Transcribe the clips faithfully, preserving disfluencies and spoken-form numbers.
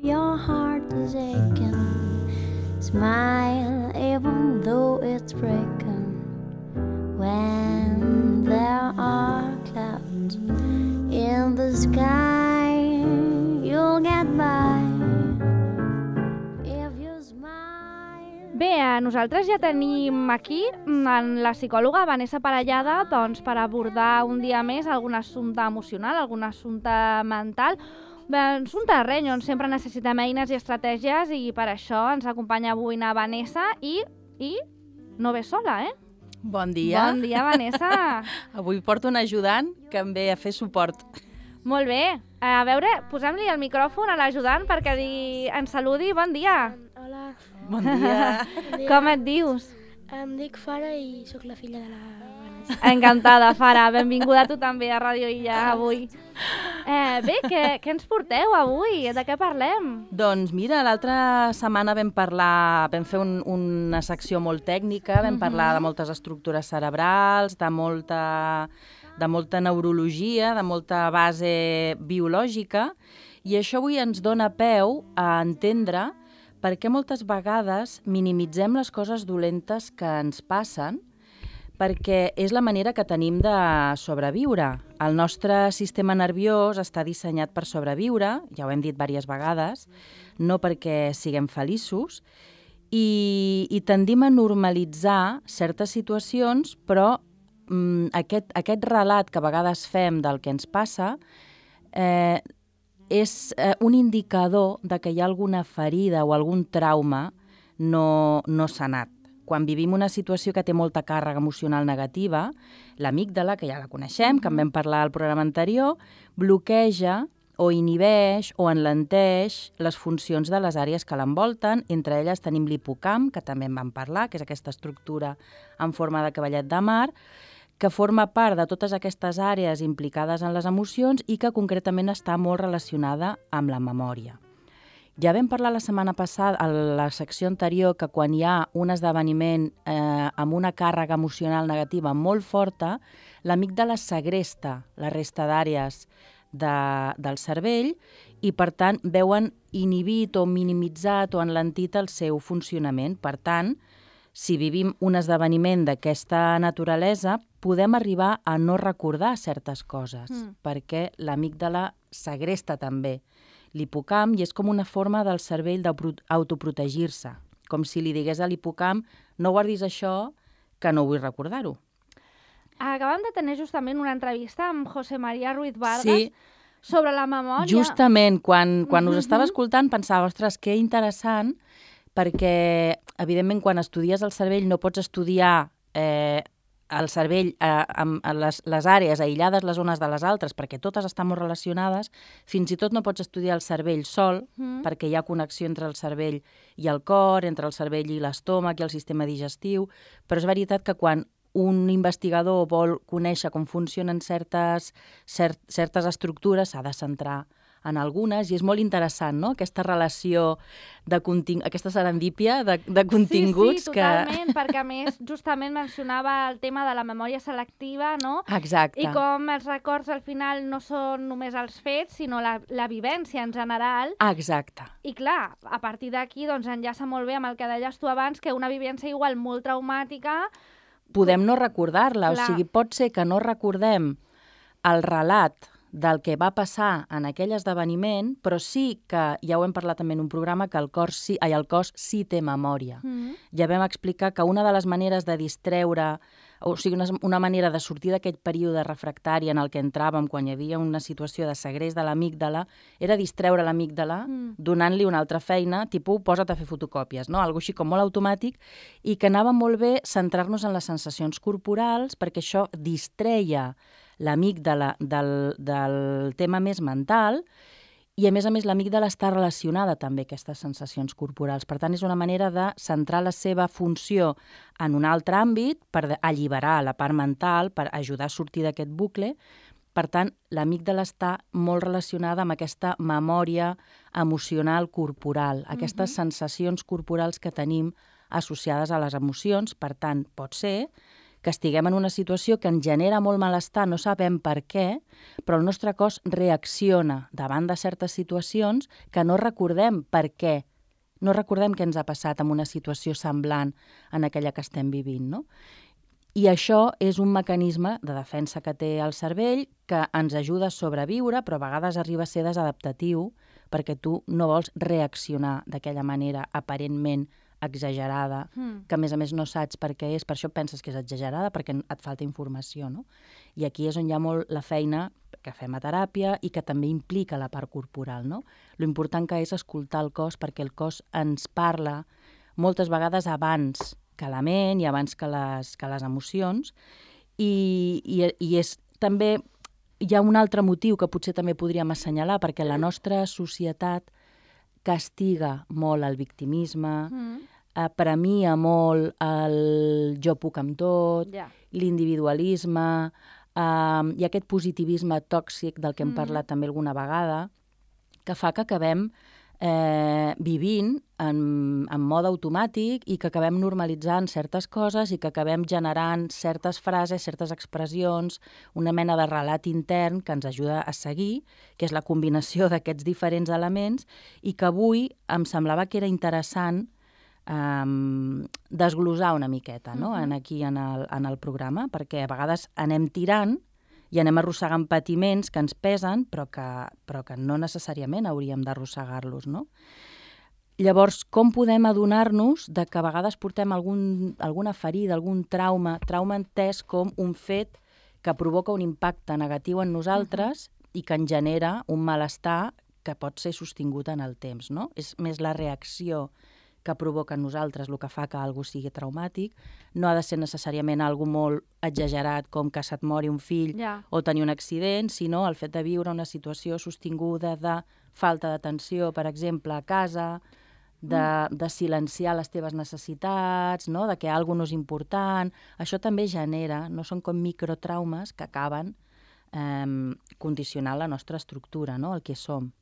Your heart is aching. Smile even though it's breaking. When there are clouds in the sky, you'll get by. If you smile... Bé, nosaltres ja tenim aquí en la psicòloga Vanessa Parellada doncs, per abordar un dia més algun assumpte emocional, algun assumpte mental, un assumpte reny on sempre necessitem eines i estratègies i per això ens acompanya avui na Vanessa i, i no ve sola, eh? Bon dia. Bon dia, Vanessa. Avui porto un ajudant que em ve a fer suport. Molt bé. A veure, posem-li el micròfon a l'ajudant perquè li... ens saludi. Bon dia. Hola. Bon dia. Bon dia. Com et dius? Em dic Fara i sóc la filla de la Vanessa. Encantada, Fara. Benvinguda tu també a Ràdio Illa avui. Eh, bé, què, què ens porteu avui? De què parlem? Doncs mira, l'altra setmana vam parlar, vam fer un, una secció molt tècnica, vam parlar de moltes estructures cerebrals, de molta, de molta neurologia, de molta base biològica, i això avui ens dona peu a entendre per què moltes vegades minimitzem les coses dolentes que ens passen, perquè és la manera que tenim de sobreviure. El nostre sistema nerviós està dissenyat per sobreviure, ja ho hem dit diverses vegades, no perquè siguem feliços, i, i tendim a normalitzar certes situacions, però mm, aquest, aquest relat que a vegades fem del que ens passa eh, és eh, un indicador de que hi ha alguna ferida o algun trauma no, no sanat. Quan vivim una situació que té molta càrrega emocional negativa, l'amígdala, que ja la coneixem, que en vam parlar al programa anterior, bloqueja o inhibeix o enlenteix les funcions de les àrees que l'envolten. Entre elles tenim l'hipocamp, que també en vam parlar, que és aquesta estructura en forma de cavallet de mar, que forma part de totes aquestes àrees implicades en les emocions i que concretament està molt relacionada amb la memòria. Ja vam parlar la setmana passada, a la secció anterior, que quan hi ha un esdeveniment eh, amb una càrrega emocional negativa molt forta, l'amígdala segresta la resta d'àrees de, del cervell i, per tant, veuen inhibit o minimitzat o enlentit el seu funcionament. Per tant, si vivim un esdeveniment d'aquesta naturalesa, podem arribar a no recordar certes coses, mm. perquè l'amígdala segresta també l'hipocamp i és com una forma del cervell d'autoprotegir-se, com si li digués a l'hipocamp no guardis això, que no vull recordar-ho. Acabem de tenir justament una entrevista amb José María Ruiz Vargas sí. sobre la memòria. Justament, quan, quan uh-huh. us estava escoltant pensava, ostres, que interessant, perquè, evidentment, quan estudies el cervell no pots estudiar eh, el cervell eh, amb les, les àrees aïllades les unes de les altres, perquè totes estan molt relacionades, fins i tot no pots estudiar el cervell sol, mm. perquè hi ha connexió entre el cervell i el cor, entre el cervell i l'estómac i el sistema digestiu, però és veritat que quan un investigador vol conèixer com funcionen certes, cert, certes estructures, s'ha de centrar en algunes, i és molt interessant, no?, aquesta relació, de contingut, aquesta serendípia de, de continguts. Sí, sí, totalment, que... perquè a més justament mencionava el tema de la memòria selectiva, no? Exacte. I com els records al final no són només els fets, sinó la, la vivència en general. Exacte. I clar, a partir d'aquí doncs, enllaça molt bé amb el que deies tu abans, que una vivència igual molt traumàtica... Podem no recordar-la, clar. O sigui, pot ser que no recordem el relat del que va passar en aquell esdeveniment, però sí que, ja ho hem parlat també en un programa, que el cos sí, ai, el cos sí té memòria. Mm-hmm. Ja vam explicar que una de les maneres de distreure, o sigui, una, una manera de sortir d'aquest període refractari en el que entràvem quan hi havia una situació de segrest de l'amígdala, era distreure l'amígdala mm. donant-li una altra feina, tipus, posa't a fer fotocòpies, no? Algo així com molt automàtic, i que anava molt bé centrar-nos en les sensacions corporals, perquè això distreia l'amígdala del, del tema més mental i, a més a més, l'amígdala està relacionada també a aquestes sensacions corporals. Per tant, és una manera de centrar la seva funció en un altre àmbit per alliberar la part mental, per ajudar a sortir d'aquest bucle. Per tant, l'amígdala està molt relacionada amb aquesta memòria emocional corporal, aquestes mm-hmm. sensacions corporals que tenim associades a les emocions. Per tant, pot ser que estiguem en una situació que ens genera molt malestar, no sabem per què, però el nostre cos reacciona davant de certes situacions que no recordem per què. No recordem què ens ha passat en una situació semblant en aquella que estem vivint, no? I això és un mecanisme de defensa que té el cervell que ens ajuda a sobreviure, però a vegades arriba a ser desadaptatiu perquè tu no vols reaccionar d'aquella manera aparentment exagerada, mm. que a més a més no saps per què és, per això penses que és exagerada, perquè et falta informació, no? I aquí és on hi ha molt la feina que fem a teràpia i que també implica la part corporal, no? Lo important que és escoltar el cos, perquè el cos ens parla moltes vegades abans que la ment i abans que les, que les emocions, i, i, i és també, hi ha un altre motiu que potser també podríem assenyalar, perquè la nostra societat castiga molt el victimisme, mm. eh, premia molt el jo puc amb tot, yeah. l'individualisme, eh, i aquest positivisme tòxic del que hem mm. parlat també alguna vegada, que fa que acabem eh, vivint en, en mode automàtic i que acabem normalitzant certes coses i que acabem generant certes frases, certes expressions, una mena de relat intern que ens ajuda a seguir, que és la combinació d'aquests diferents elements, i que avui em semblava que era interessant um, desglosar una miqueta, no? Uh-huh. en aquí en el, en el programa, perquè a vegades anem tirant i anem arrossegant patiments que ens pesen, però que, però que no necessàriament hauríem d'arrossegar-los, no? Llavors, com podem adonar-nos de que a vegades portem algun, alguna ferida, algun trauma, trauma entès com un fet que provoca un impacte negatiu en nosaltres uh-huh. i que en genera un malestar que pot ser sostingut en el temps, no? És més la reacció que provoca en nosaltres el que fa que algú sigui traumàtic. No ha de ser necessàriament algo molt exagerat com que se't mori un fill yeah. o tenir un accident, sinó el fet de viure una situació sostinguda de falta d'atenció, per exemple, a casa, de, mm. de silenciar les teves necessitats, no? De que alguna cosa no és important. Això també genera, no són com microtraumes que acaben eh, condicionant la nostra estructura, no? El que som.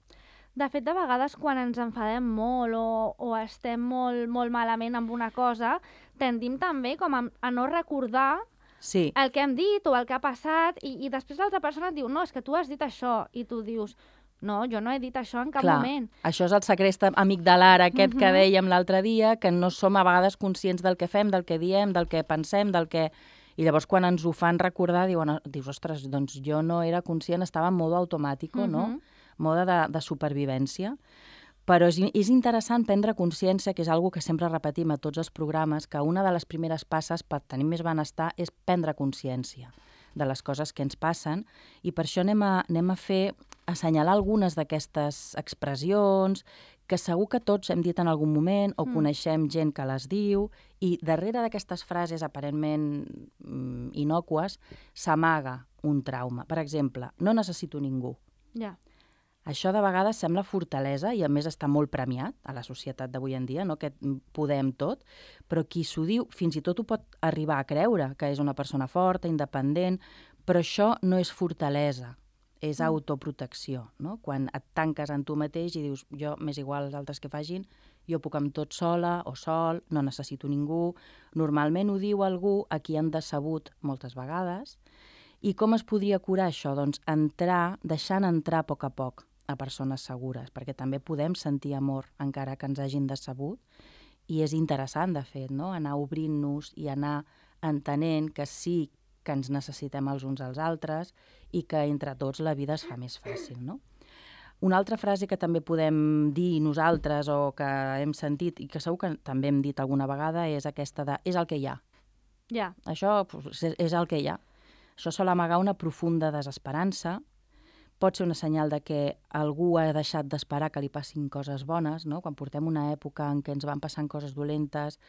De fet, de vegades, quan ens enfadem molt o, o estem molt, molt malament amb una cosa, tendim també com a, a no recordar sí. el que hem dit o el que ha passat, i, i després l'altra persona et diu, no, és que tu has dit això, i tu dius, no, jo no he dit això en cap Clar, moment. Això és el secret amigdalar aquest uh-huh. que dèiem l'altre dia, que no som a vegades conscients del que fem, del que diem, del que pensem, del que... I llavors, quan ens ho fan recordar, diuen, dius, ostres, doncs jo no era conscient, estava en modo automàtic, uh-huh. no? Mode de, de supervivència. Però és, és interessant prendre consciència, que és una que sempre repetim a tots els programes, que una de les primeres passes per tenir més benestar és prendre consciència de les coses que ens passen, i per això anem a, anem a fer, assenyalar algunes d'aquestes expressions que segur que tots hem dit en algun moment o mm. coneixem gent que les diu, i darrere d'aquestes frases aparentment mm, inocues s'amaga un trauma. Per exemple, no necessito ningú. Ja. Yeah. Això de vegades sembla fortalesa i a més està molt premiat a la societat d'avui en dia, no? Que podem tot, però qui s'ho diu fins i tot ho pot arribar a creure, que és una persona forta, independent, però això no és fortalesa, és autoprotecció, no? Quan et tanques en tu mateix i dius, jo m'és igual als altres que facin, jo puc amb tot sola o sol, no necessito ningú. Normalment ho diu algú a qui han decebut moltes vegades. I com es podria curar això? Doncs entrar, deixant entrar a poc a poc a persones segures, perquè també podem sentir amor encara que ens hagin decebut, i és interessant, de fet, no? Anar obrint-nos i anar entenent que sí que ens necessitem els uns als altres i que entre tots la vida es fa més fàcil, no? Una altra frase que també podem dir nosaltres o que hem sentit i que segur que també hem dit alguna vegada és aquesta de és el que hi ha. Ja. Això pues, és el que hi ha. Això sol amagar una profunda desesperança. Pot ser una senyal de que algú ha deixat d'esperar que li passin coses bones, no? Quan portem una època en què ens van passant coses dolentes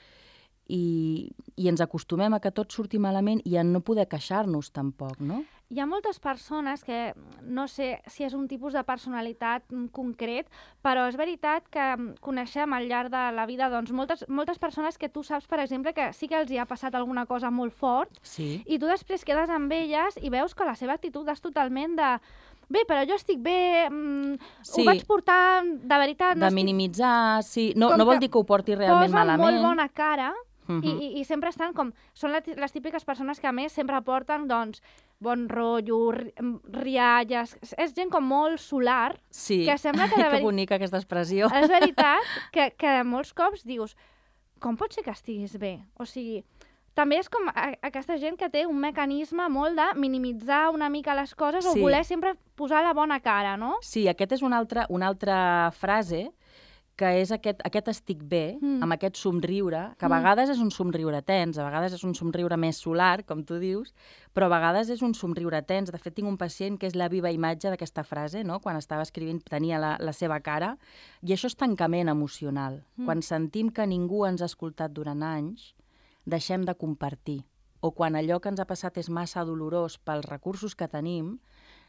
i, i ens acostumem a que tot surti malament i a no poder queixar-nos tampoc, no? Hi ha moltes persones que, no sé si és un tipus de personalitat concret, però és veritat que coneixem al llarg de la vida doncs, moltes, moltes persones que tu saps, per exemple, que sí que els hi ha passat alguna cosa molt fort, sí. I tu després quedes amb elles i veus que la seva actitud és totalment de... Bé, però jo estic bé, mm, sí. Ho vaig portar de veritat... De no minimitzar, estic... sí. No, no vol dir que ho porti realment malament. Posa molt bona cara, Mhm. I, i, i sempre estan com... Són la- les típiques persones que, a més, sempre porten, doncs, bon rotllo, ri- rialles... És- És gent com molt solar, Sí, que sembla que Ai, de que veri- bonica aquesta expressió. és veritat que, que molts cops dius com pot ser que estiguis bé? O sigui, també és com a, aquesta gent que té un mecanisme molt de minimitzar una mica les coses Sí. o voler sempre posar la bona cara, no? Sí, aquest és una altra, una altra frase que és aquest, aquest estic bé, Mm. amb aquest somriure, que a Mm. vegades és un somriure tens, a vegades és un somriure més solar, com tu dius, però a vegades és un somriure tens. De fet, tinc un pacient que és la viva imatge d'aquesta frase, no? Quan estava escrivint tenia la, la seva cara, i això és tancament emocional. Mm. Quan sentim que ningú ens ha escoltat durant anys, deixem de compartir. O quan allò que ens ha passat és massa dolorós pels recursos que tenim,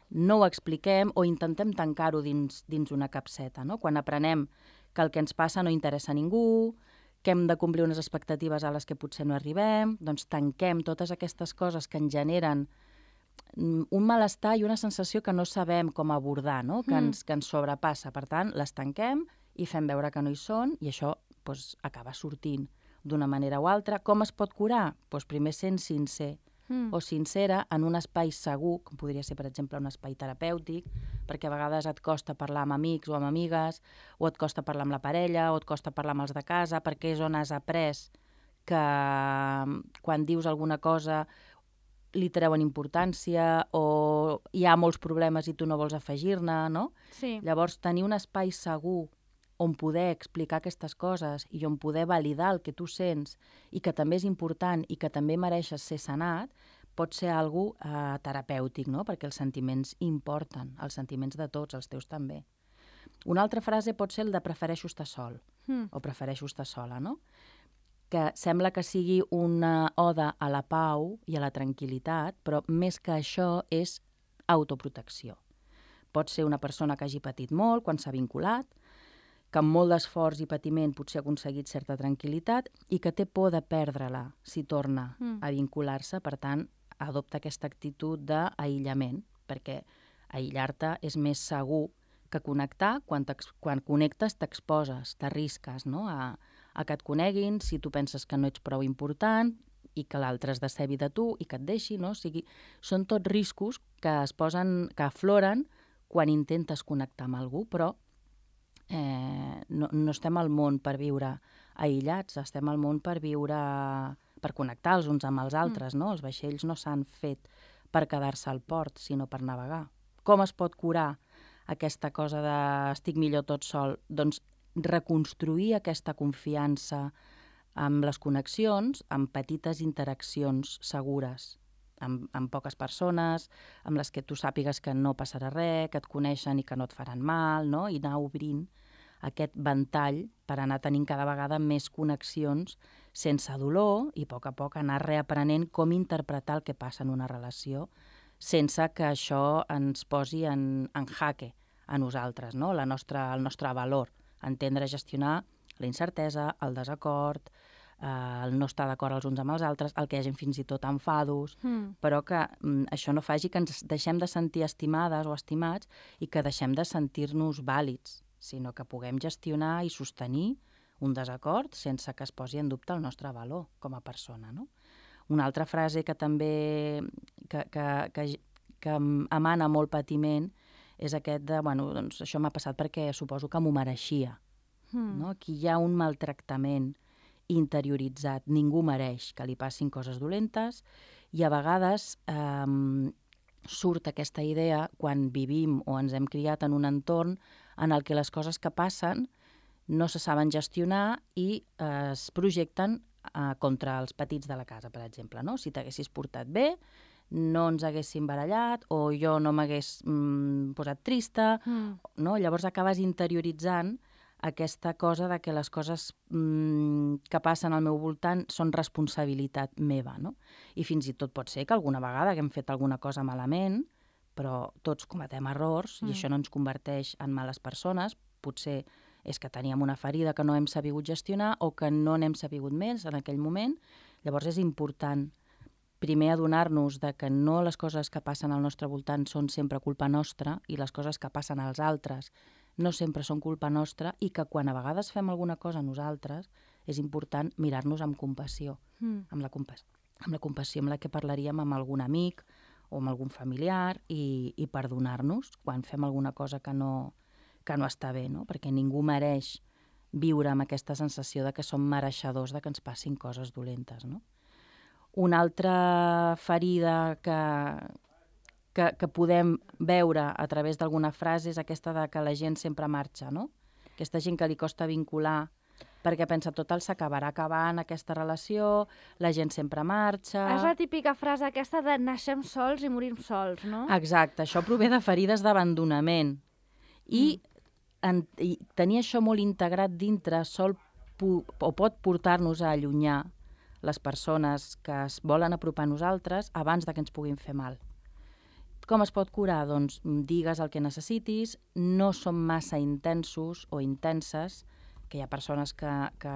no ho expliquem o intentem tancar-ho dins, dins una capseta, no? Quan aprenem que el que ens passa no interessa a ningú, que hem de complir unes expectatives a les que potser no arribem, doncs tanquem totes aquestes coses que ens generen mm, un malestar i una sensació que no sabem com abordar, no? que, Mm. ens, que ens sobrepassa. Per tant, les tanquem i fem veure que no hi són i això doncs, acaba sortint d'una manera o altra. Com es pot curar? Doncs primer sent sincer Mm. o sincera en un espai segur, com podria ser, per exemple, un espai terapèutic, perquè a vegades et costa parlar amb amics o amb amigues, o et costa parlar amb la parella, o et costa parlar amb els de casa, perquè és on has après que mm, quan dius alguna cosa li treuen importància o hi ha molts problemes i tu no vols afegir-ne, no? Sí. Llavors, tenir un espai segur on poder explicar aquestes coses i on poder validar el que tu sents i que també és important i que també mereixes ser sanat, pot ser algo eh, terapèutic, no? Perquè els sentiments importen, els sentiments de tots, els teus també. Una altra frase pot ser el de prefereixo estar sol Mm. o prefereixo estar sola, no? Que sembla que sigui una oda a la pau i a la tranquil·litat, però més que això és autoprotecció. Pot ser una persona que hagi patit molt quan s'ha vinculat, que amb molt d'esforç i patiment potser ha aconseguit certa tranquil·litat i que té por de perdre-la si torna Mm. a vincular-se, per tant, adopta aquesta actitud d'aïllament, perquè aïllar-te és més segur que connectar. Quan, quan connectes t'exposes, t'arrisques, no? a, a que et coneguin, si tu penses que no ets prou important i que l'altre es decebi de tu i que et deixi, no? O sigui, són tots riscos que es posen, que afloren quan intentes connectar amb algú, però eh, no, no estem al món per viure aïllats, estem al món per viure, per connectar els uns amb els altres, no? Els vaixells no s'han fet per quedar-se al port, sinó per navegar. Com es pot curar aquesta cosa de estic millor tot sol? Doncs reconstruir aquesta confiança amb les connexions, amb petites interaccions segures, amb, amb poques persones, amb les que tu sàpigues que no passarà res, que et coneixen i que no et faran mal, no? I anar obrint aquest ventall per anar tenint cada vegada més connexions sense dolor i a poc a poc anar reaprenent com interpretar el que passa en una relació sense que això ens posi en, en jaque a nosaltres, no? La nostra, el nostre valor, entendre, gestionar la incertesa, el desacord, eh, el no estar d'acord els uns amb els altres, el que hi hagi fins i tot enfados, Mm. però que mm, això no faci que ens deixem de sentir estimades o estimats i que deixem de sentir-nos vàlids, sinó que puguem gestionar i sostenir un desacord sense que es posi en dubte el nostre valor com a persona, no? Una altra frase que també que, que, que, que emana molt patiment és aquest de, bueno, doncs això m'ha passat perquè suposo que m'ho mereixia. Mm. No? Aquí hi ha un maltractament interioritzat. Ningú mereix que li passin coses dolentes i a vegades eh, surt aquesta idea quan vivim o ens hem criat en un entorn en el que les coses que passen no se saben gestionar i eh, es projecten eh, contra els petits de la casa, per exemple. No? Si t'haguessis portat bé, no ens haguéssim barallat o jo no m'hagués mm, posat trista, Mm. no? Llavors acabes interioritzant aquesta cosa de que les coses mm, que passen al meu voltant són responsabilitat meva, no? I fins i tot pot ser que alguna vegada que hem fet alguna cosa malament, però tots cometem errors Mm. i això no ens converteix en males persones. Potser és que teníem una ferida que no hem sabut gestionar o que no n'hem sabut més en aquell moment. Llavors és important primer adonar-nos de que no les coses que passen al nostre voltant són sempre culpa nostra i les coses que passen als altres no sempre són culpa nostra i que quan a vegades fem alguna cosa nosaltres és important mirar-nos amb compassió, Mm. amb la, compas amb la compassió amb la que parlaríem amb algun amic o amb algun familiar i, i perdonar-nos quan fem alguna cosa que no, que no està bé, no? Perquè ningú mereix viure amb aquesta sensació de que som mereixedors de que ens passin coses dolentes, no? Una altra ferida que, que, que podem veure a través d'alguna frase és aquesta de que la gent sempre marxa, no? Aquesta gent que li costa vincular perquè pensa total s'acabarà acabant aquesta relació, la gent sempre marxa... És la típica frase aquesta de naixem sols i morim sols, no? Exacte, això prové de ferides d'abandonament. I, mm. en, I tenir això molt integrat dintre sol pu o pot portar-nos a allunyar les persones que es volen apropar a nosaltres abans de que ens puguin fer mal. Com es pot curar? Doncs digues el que necessitis, no som massa intensos o intenses, que hi ha persones que, que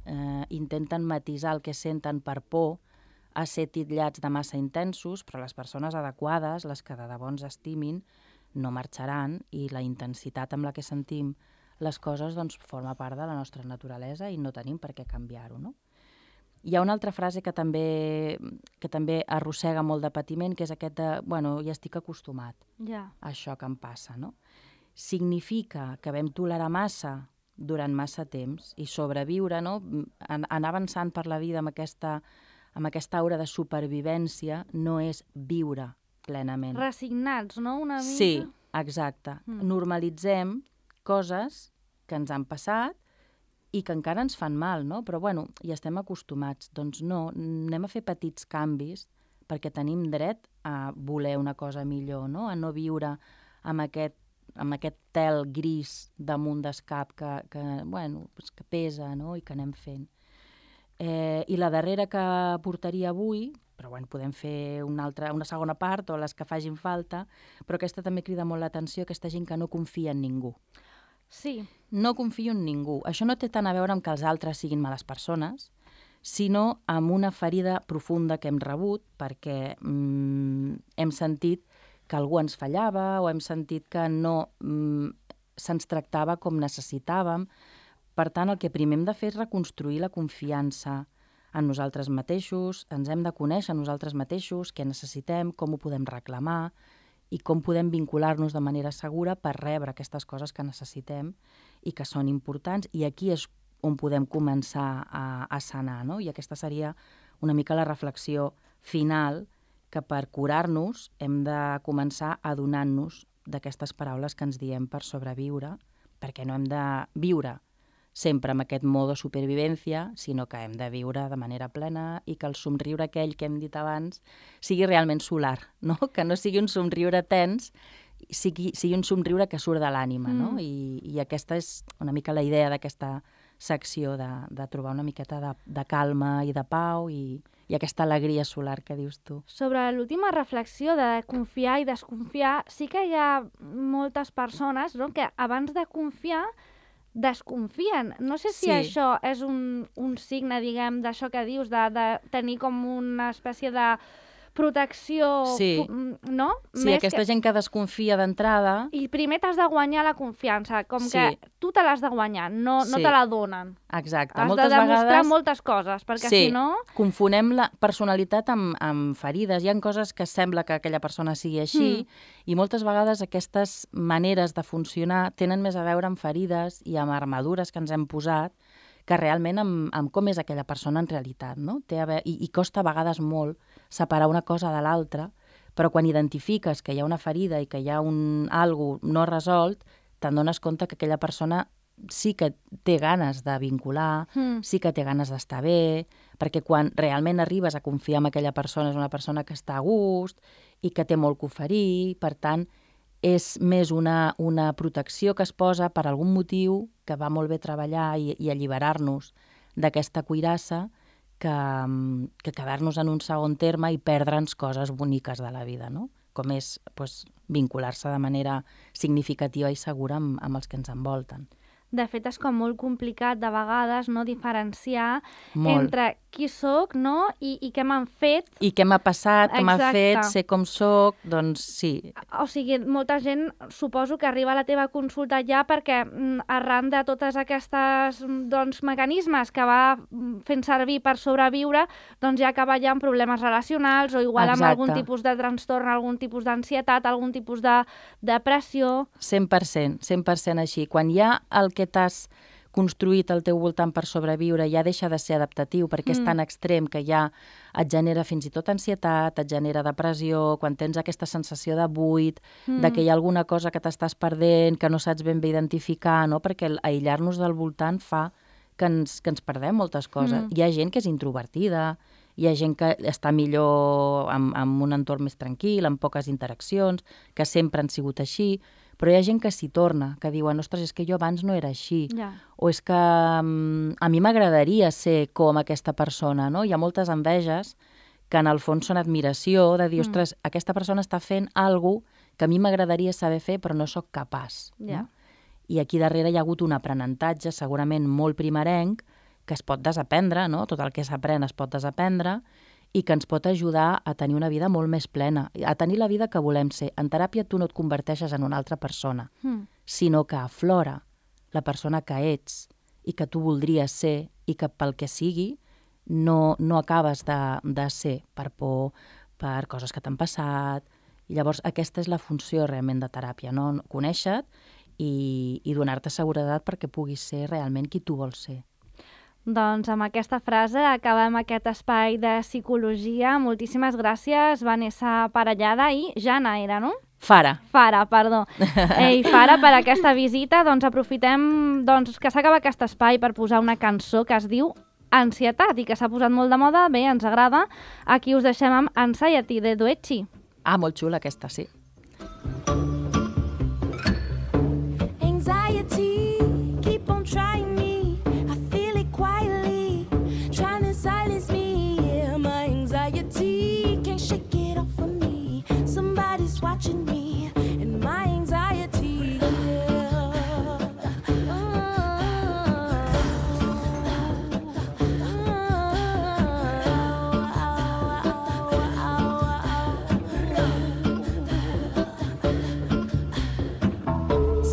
eh, intenten matisar el que senten per por a ser titllats de massa intensos, però les persones adequades, les que de debò ens estimin, no marxaran i la intensitat amb la que sentim les coses doncs, forma part de la nostra naturalesa i no tenim per què canviar-ho, no? Hi ha una altra frase que també, que també arrossega molt de patiment, que és aquest de, bueno, ja estic acostumat Ja. a això que em passa, no? Significa que vam tolerar massa durant massa temps i sobreviure, no? Anar avançant per la vida amb aquesta, amb aquesta aura de supervivència no és viure plenament. Resignats, no? Una mica. Sí, exacte. Mm. Normalitzem coses que ens han passat i que encara ens fan mal, no? Però, bueno, ja estem acostumats. Doncs no, anem a fer petits canvis perquè tenim dret a voler una cosa millor, no? A no viure amb aquest, amb aquest tel gris damunt d'escap que, que, bueno, pues que pesa, no? I que anem fent. Eh, I la darrera que portaria avui, però bueno, podem fer una, altra, una segona part o les que facin falta, però aquesta també crida molt l'atenció, aquesta gent que no confia en ningú. Sí. No confio en ningú. Això no té tant a veure amb que els altres siguin males persones, sinó amb una ferida profunda que hem rebut perquè mm, hem sentit que algú ens fallava o hem sentit que no mm, se'ns tractava com necessitàvem. Per tant, el que primer hem de fer és reconstruir la confiança en nosaltres mateixos, ens hem de conèixer nosaltres mateixos, què necessitem, com ho podem reclamar i com podem vincular-nos de manera segura per rebre aquestes coses que necessitem i que són importants. I aquí és on podem començar a, a sanar, no? I aquesta seria una mica la reflexió final, que per curar-nos hem de començar adonant-nos d'aquestes paraules que ens diem per sobreviure, perquè no hem de viure sempre amb aquest modo supervivència, sinó que hem de viure de manera plena i que el somriure aquell que hem dit abans sigui realment solar, no? Que no sigui un somriure tens, sigui, sigui un somriure que surt de l'ànima, no? Mm. I, I aquesta és una mica la idea d'aquesta secció, de, de trobar una miqueta de, de calma i de pau i, i aquesta alegria solar que dius tu. Sobre l'última reflexió de confiar i desconfiar, sí que hi ha moltes persones, no?, que abans de confiar desconfien. No sé si Sí. això és un, un signe, diguem, d'això que dius, de, de tenir com una espècie de protecció, Sí. fu- no? Sí, aquesta gent que desconfia d'entrada... I primer t'has de guanyar la confiança, com Sí. que tu te l'has de guanyar, no, no Sí. te la donen. Exacte. Has moltes de demostrar vegades... moltes coses, perquè Sí. si no... Confonem la personalitat amb, amb ferides. Hi ha coses que sembla que aquella persona sigui així Mm. i moltes vegades aquestes maneres de funcionar tenen més a veure amb ferides i amb armadures que ens hem posat que realment amb, amb com és aquella persona en realitat, no? Té a veure, i, I costa a vegades molt separar una cosa de l'altra, però quan identifiques que hi ha una ferida i que hi ha un algo no resolt, te'n dones compte que aquella persona sí que té ganes de vincular, Mm. sí que té ganes d'estar bé, perquè quan realment arribes a confiar en aquella persona és una persona que està a gust i que té molt que oferir, per tant, és més una, una protecció que es posa per algun motiu que va molt bé treballar i, i alliberar-nos d'aquesta cuirassa que, que quedar-nos en un segon terme i perdre'ns coses boniques de la vida, no? Com és pues, vincular-se de manera significativa i segura amb, amb els que ens envolten. De fet, és com molt complicat de vegades no diferenciar Molt. entre qui sóc, no? I, i què m'han fet. I què m'ha passat, què m'ha Exacte. fet, sé com sóc, doncs sí. O sigui, molta gent suposo que arriba a la teva consulta ja perquè mm, arran de totes aquestes mm, doncs, mecanismes que va mm, fent servir per sobreviure, doncs ja acaba ja amb problemes relacionals o igual amb Exacte. algun tipus de trastorn, algun tipus d'ansietat, algun tipus de depressió. cent per cent, cent per cent així. Quan hi ha el que t'has construït al teu voltant per sobreviure ja deixa de ser adaptatiu perquè és Mm. tan extrem que ja et genera fins i tot ansietat, et genera depressió, quan tens aquesta sensació de buit, Mm. de que hi ha alguna cosa que t'estàs perdent, que no saps ben bé identificar, no? Perquè el aïllar-nos del voltant fa que ens, que ens perdem moltes coses. Mm. Hi ha gent que és introvertida, hi ha gent que està millor amb, amb un entorn més tranquil, amb poques interaccions, que sempre han sigut així, però hi ha gent que s'hi torna, que diuen, ostres, és que jo abans no era així, Ja. o és que um, a mi m'agradaria ser com aquesta persona, no? Hi ha moltes enveges que en el fons són admiració, de dir, Mm. ostres, aquesta persona està fent alguna cosa que a mi m'agradaria saber fer, però no sóc capaç. Ja. No? I aquí darrere hi ha hagut un aprenentatge segurament molt primerenc que es pot desaprendre, no? Tot el que s'aprèn es pot desaprendre i que ens pot ajudar a tenir una vida molt més plena, a tenir la vida que volem ser. En teràpia tu no et converteixes en una altra persona, Mm. sinó que aflora la persona que ets i que tu voldries ser i que pel que sigui no, no acabes de, de ser per por, per coses que t'han passat. I llavors aquesta és la funció realment de teràpia, no? Conèixer-te i, i donar-te seguretat perquè puguis ser realment qui tu vols ser. Doncs amb aquesta frase acabem aquest espai de psicologia. Moltíssimes gràcies, Vanessa Parellada i Jana era, no? Fara. Fara, perdó. Ei, Fara, per aquesta visita, doncs aprofitem doncs, que s'acaba aquest espai per posar una cançó que es diu Ansietat i que s'ha posat molt de moda, bé, ens agrada. Aquí us deixem amb Anxiety de Doechi. Ah, molt xula aquesta, sí. Anxiety, keep on trying me. I feel it quietly, trying to silence me. Yeah, my anxiety can't shake it off of me. Somebody's watching me, and my anxiety. Yeah.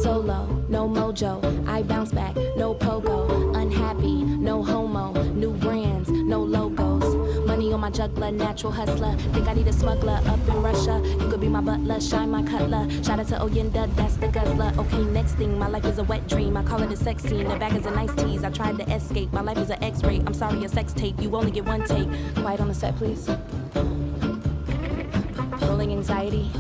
Solo, no mojo, I bounce back, no pogo, unhappy, no homo, new brands, no logos, money on my juggler, natural hustler, think I need a smuggler up in Russia, you could be my butler, shine my cutler, shout out to Oyenda, that's the guzzler, okay, next thing, my life is a wet dream, I call it a sex scene, the back is a nice tease, I tried to escape, my life is an x-ray, I'm sorry, a sex tape, you only get one take, quiet on the set, please, rolling anxiety,